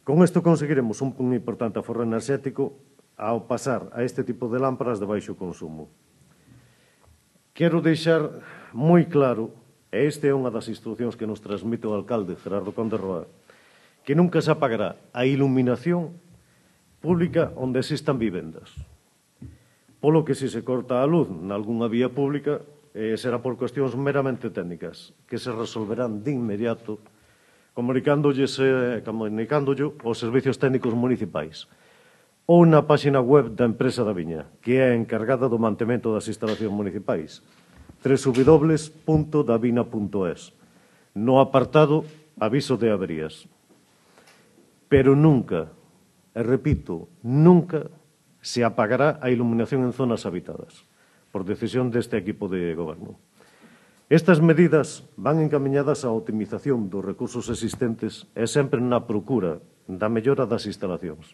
Con isto conseguiremos un importante aforro enerxético ao pasar a este tipo de lámparas de baixo consumo. Quero deixar moi claro, e esta é unha das instruccións que nos transmite o alcalde Gerardo Conde Roa, que nunca se apagará a iluminación pública onde existan vivendas. Polo que se corta a luz nalgúnha vía pública será por cuestións meramente técnicas que se resolverán de inmediato comunicándolle aos servicios técnicos municipais ou na páxina web da empresa da Viña, que é a encargada do mantemento das instalacións municipais, www.davina.es, no apartado Aviso de averías. Pero nunca, e repito, nunca se apagará a iluminación en zonas habitadas, por decisión deste equipo de goberno. Estas medidas van encamiñadas á optimización dos recursos existentes e sempre na procura da mellora das instalacións.